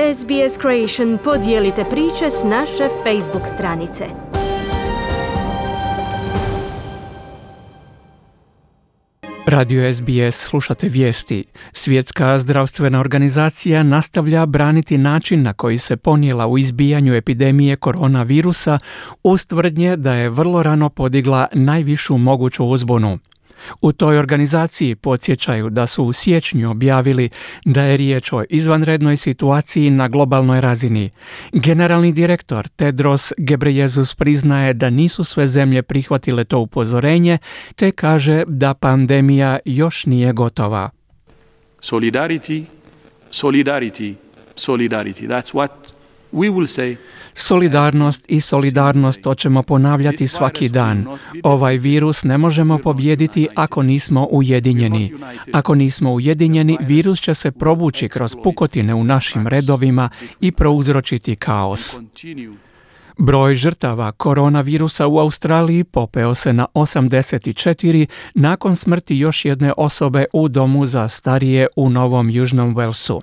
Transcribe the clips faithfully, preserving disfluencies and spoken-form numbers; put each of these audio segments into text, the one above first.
S B S Creation podijelite priče s naše Facebook stranice. Radio S B S, slušate vijesti. Svjetska zdravstvena organizacija nastavlja braniti način na koji se ponijela u izbijanju epidemije koronavirusa uz tvrdnje da je vrlo rano podigla najvišu moguću uzbunu. U toj organizaciji podsjećaju da su u siječnju objavili da je riječ o izvanrednoj situaciji na globalnoj razini. Generalni direktor Tedros Ghebreyesus priznaje da nisu sve zemlje prihvatile to upozorenje, te kaže da pandemija još nije gotova. Solidarity, solidarity, solidarity. That's what we will say. Solidarnost i solidarnost, to ćemo ponavljati svaki dan. Ovaj virus ne možemo pobijediti ako nismo ujedinjeni. Ako nismo ujedinjeni, virus će se provući kroz pukotine u našim redovima i prouzročiti kaos. Broj žrtava koronavirusa u Australiji popeo se na osamdeset četiri nakon smrti još jedne osobe u domu za starije u Novom Južnom Walesu.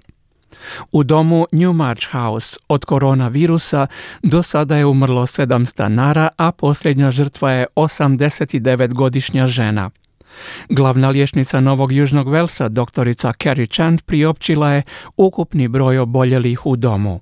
U domu Newmarch House od koronavirusa do sada je umrlo sedam stanara, a posljednja žrtva je osamdesetdevetgodišnja žena. Glavna liječnica Novog Južnog Walesa, doktorica Carrie Chand, priopćila je ukupni broj oboljelih u domu.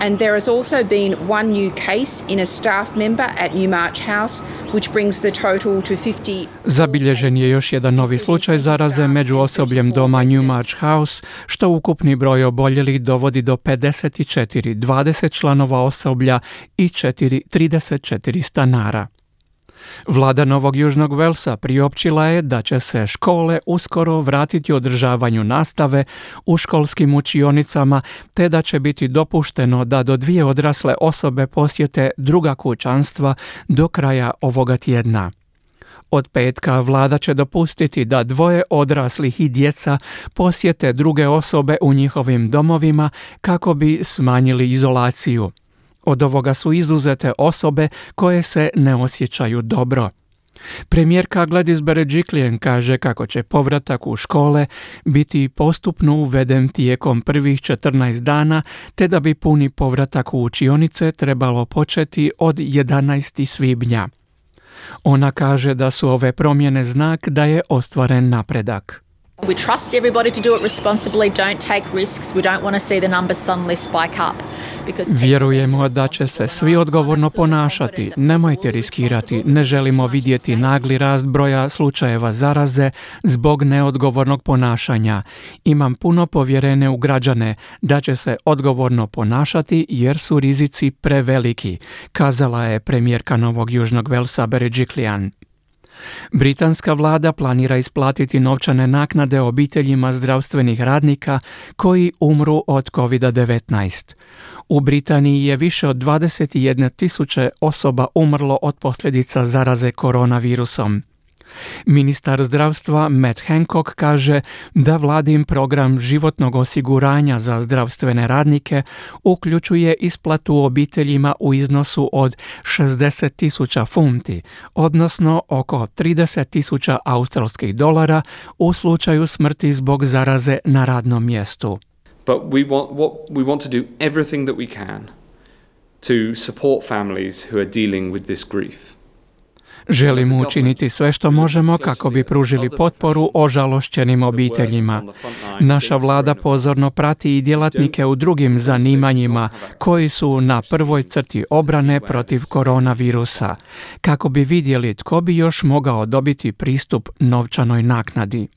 And there has also been one new case in a staff member at Newmarch House, which brings the total to fifty. Zabilježen je još jedan novi slučaj zaraze među osobljem doma Newmarch House, što ukupni broj oboljelih dovodi do pedeset četiri, dvadeset članova osoblja i trideset četiri stanara. Vlada Novog Južnog Walesa priopćila je da će se škole uskoro vratiti održavanju nastave u školskim učionicama, te da će biti dopušteno da do dvije odrasle osobe posjete druga kućanstva do kraja ovoga tjedna. Od petka vlada će dopustiti da dvoje odraslih i djeca posjete druge osobe u njihovim domovima kako bi smanjili izolaciju. Od ovoga su izuzete osobe koje se ne osjećaju dobro. Premijerka Gladys Berejiklian kaže kako će povratak u škole biti postupno uveden tijekom prvih četrnaest dana, te da bi puni povratak u učionice trebalo početi od jedanaestog svibnja. Ona kaže da su ove promjene znak da je ostvaren napredak. We trust everybody to do it responsibly, don't take risks. We don't want to see the numbers suddenly spike up. Vjerujemo da će se svi odgovorno ponašati. Nemojte riskirati. Ne želimo vidjeti nagli rast broja slučajeva zaraze zbog neodgovornog ponašanja. Imam puno povjerenja u građane da će se odgovorno ponašati jer su rizici preveliki, kazala je premijerka Novog Južnog Walesa Berejiklian. Britanska vlada planira isplatiti novčane naknade obiteljima zdravstvenih radnika koji umru od kovid devetnaest. U Britaniji je više od dvadeset jedne tisuće osoba umrlo od posljedica zaraze koronavirusom. Ministar zdravstva Matt Hancock kaže da vladin program životnog osiguranja za zdravstvene radnike uključuje isplatu obiteljima u iznosu od šezdeset tisuća funti, odnosno oko trideset tisuća australskih dolara u slučaju smrti zbog zaraze na radnom mjestu. But we want, what, we want to do everything that we can to support families who are dealing with this grief. Želimo učiniti sve što možemo kako bi pružili potporu ožalošćenim obiteljima. Naša vlada pozorno prati i djelatnike u drugim zanimanjima koji su na prvoj crti obrane protiv koronavirusa, kako bi vidjeli tko bi još mogao dobiti pristup novčanoj naknadi.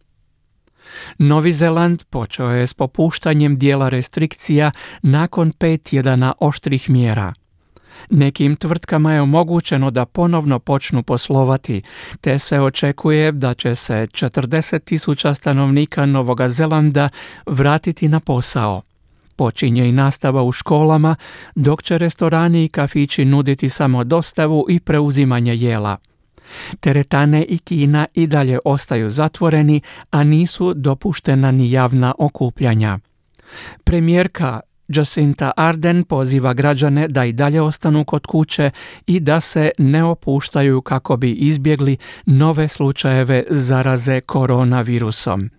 Novi Zeland počeo je s popuštanjem dijela restrikcija nakon pet tjedana oštrih mjera. Nekim tvrtkama je omogućeno da ponovno počnu poslovati, te se očekuje da će se četrdeset tisuća stanovnika Novog Zelanda vratiti na posao. Počinje i nastava u školama, dok će restorani i kafići nuditi samo dostavu i preuzimanje jela. Teretane i kina i dalje ostaju zatvoreni, a nisu dopuštena ni javna okupljanja. Premijerka Jacinda Ardern poziva građane da i dalje ostanu kod kuće i da se ne opuštaju kako bi izbjegli nove slučajeve zaraze koronavirusom.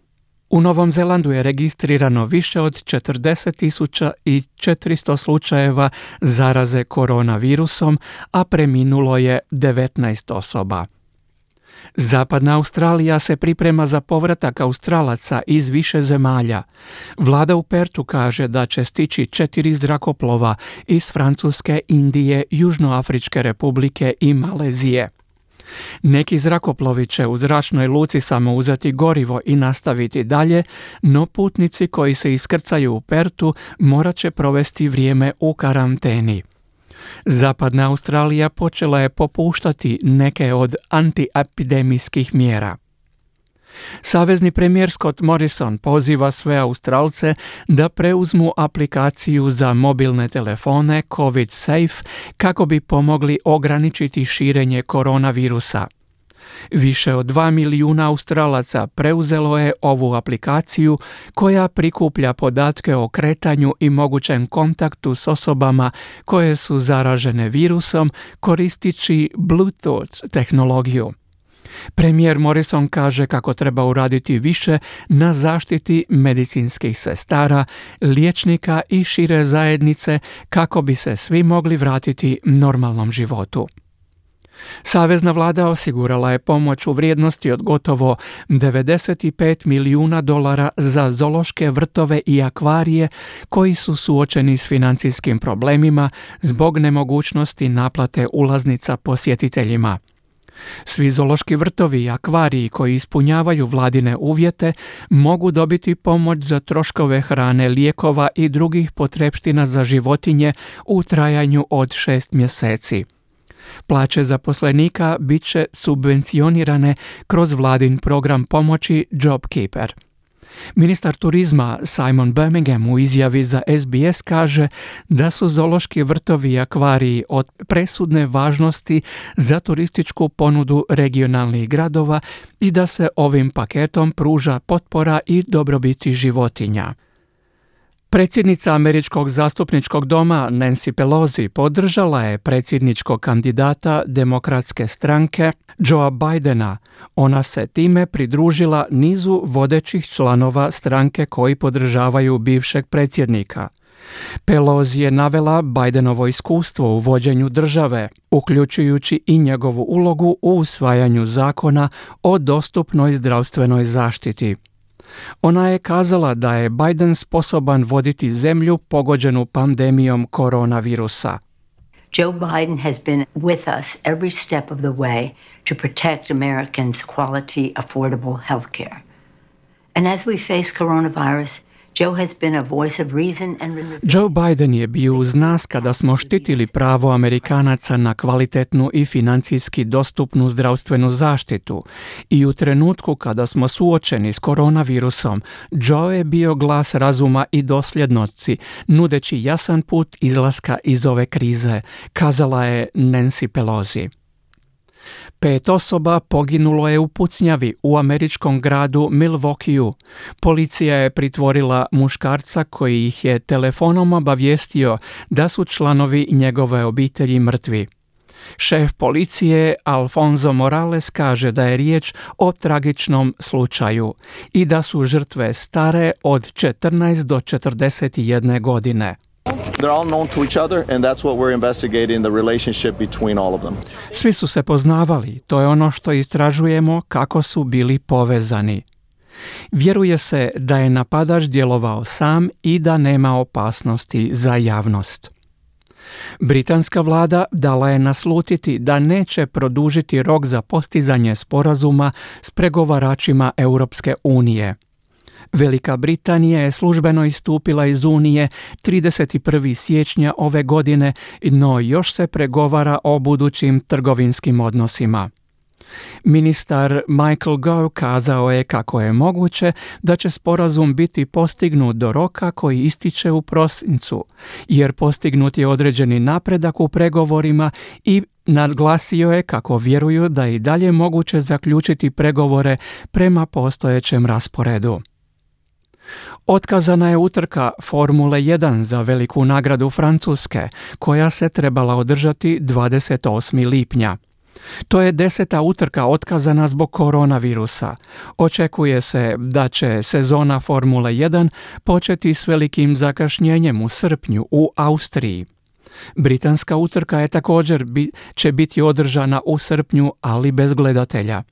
U Novom Zelandu je registrirano više od četrdeset tisuća četiristo slučajeva zaraze koronavirusom, a preminulo je devetnaest osoba. Zapadna Australija se priprema za povratak Australaca iz više zemalja. Vlada u Pertu kaže da će stići četiri zrakoplova iz Francuske, Indije, Južnoafričke republike i Malezije. Neki zrakoplovi će u zračnoj luci samo uzeti gorivo i nastaviti dalje, no putnici koji se iskrcaju u Pertu morat će provesti vrijeme u karanteni. Zapadna Australija počela je popuštati neke od antiepidemijskih mjera. Savezni premijer Scott Morrison poziva sve Australce da preuzmu aplikaciju za mobilne telefone COVID Safe kako bi pomogli ograničiti širenje koronavirusa. Više od dva milijuna Australaca preuzelo je ovu aplikaciju koja prikuplja podatke o kretanju i mogućem kontaktu s osobama koje su zaražene virusom koristeći Bluetooth tehnologiju. Premijer Morrison kaže kako treba uraditi više na zaštiti medicinskih sestara, liječnika i šire zajednice kako bi se svi mogli vratiti normalnom životu. Savezna vlada osigurala je pomoć u vrijednosti od gotovo devedeset pet milijuna dolara za zoološke vrtove i akvarije koji su suočeni s financijskim problemima zbog nemogućnosti naplate ulaznica posjetiteljima. Svi zoološki vrtovi i akvariji koji ispunjavaju vladine uvjete mogu dobiti pomoć za troškove hrane, lijekova i drugih potrepština za životinje u trajanju od šest mjeseci. Plaće zaposlenika bit će subvencionirane kroz vladin program pomoći JobKeeper. Ministar turizma Simon Birmingham u izjavi za S B S kaže da su zoološki vrtovi i akvariji od presudne važnosti za turističku ponudu regionalnih gradova i da se ovim paketom pruža potpora i dobrobiti životinja. Predsjednica Američkog zastupničkog doma Nancy Pelosi podržala je predsjedničkog kandidata Demokratske stranke Joea Bidena. Ona se time pridružila nizu vodećih članova stranke koji podržavaju bivšeg predsjednika. Pelosi je navela Bidenovo iskustvo u vođenju države, uključujući i njegovu ulogu u usvajanju zakona o dostupnoj zdravstvenoj zaštiti. Ona je kazala da je Biden sposoban voditi zemlju pogođenu pandemijom koronavirusa. Joe Biden has been with us every step of the way to protect Americans' quality, affordable health care. And as we face coronavirus, Joe has been a voice of reason and Joe Biden je bio uz nas kada smo štitili pravo Amerikanaca na kvalitetnu i financijski dostupnu zdravstvenu zaštitu i u trenutku kada smo suočeni s koronavirusom, Joe je bio glas razuma i dosljednosti, nudeći jasan put izlaska iz ove krize, kazala je Nancy Pelosi. Pet osoba poginulo je u pucnjavi u američkom gradu Milwaukeeu. Policija je pritvorila muškarca koji ih je telefonom obavijestio da su članovi njegove obitelji mrtvi. Šef policije Alfonso Morales kaže da je riječ o tragičnom slučaju i da su žrtve stare od četrnaest do četrdeset jedne godine. They're all known to each other, and that's what we're investigating, the relationship between all of them. Svi su se poznavali, to je ono što istražujemo kako su bili povezani. Vjeruje se da je napadač djelovao sam i da nema opasnosti za javnost. Britanska vlada dala je naslutiti da neće produžiti rok za postizanje sporazuma s pregovaračima Europske unije. Velika Britanija je službeno istupila iz Unije trideset prvog siječnja ove godine, no još se pregovara o budućim trgovinskim odnosima. Ministar Michael Gove kazao je kako je moguće da će sporazum biti postignut do roka koji ističe u prosincu, jer postignut je određeni napredak u pregovorima i naglasio je kako vjeruju da je i dalje moguće zaključiti pregovore prema postojećem rasporedu. Otkazana je utrka Formule jedan za veliku nagradu Francuske, koja se trebala održati dvadeset osmog lipnja. To je deseta utrka otkazana zbog koronavirusa. Očekuje se da će sezona Formule jedan početi s velikim zakašnjenjem u srpnju u Austriji. Britanska utrka je također bi, će biti održana u srpnju, ali bez gledatelja.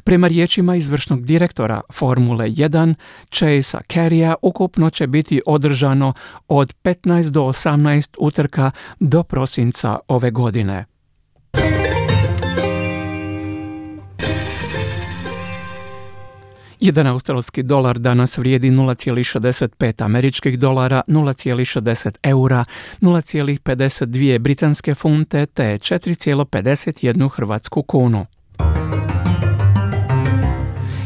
Prema riječima izvršnog direktora Formule jedan, Chasea Carrya, ukupno će biti održano od petnaest do osamnaest utrka do prosinca ove godine. Jedan australski dolar danas vrijedi nula zarez šezdeset pet američkih dolara, nula zarez šezdeset eura, nula zarez pedeset dvije britanske funte te četiri zarez pedeset jednu hrvatsku kunu.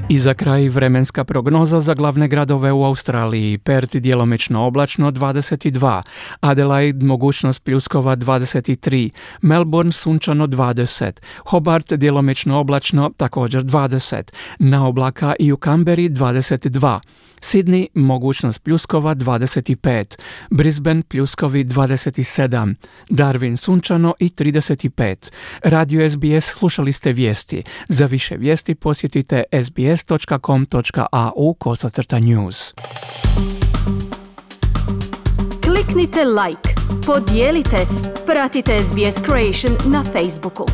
I za kraj vremenska prognoza za glavne gradove u Australiji. Perth djelomično oblačno dvadeset dva, Adelaide mogućnost pljuskova dvadeset tri, Melbourne sunčano dvadeset, Hobart djelomično oblačno također dvadeset, na oblaka i u Canberri dvadeset dva, Sydney mogućnost pljuskova dvadeset pet, Brisbane pljuskovi dvadeset sedam, Darwin sunčano i trideset pet. Radio S B S slušali ste vijesti. Za više vijesti posjetite s b s dot com dot a u kosacrta news. Kliknite like, podijelite, pratite S B S Creation na Facebooku.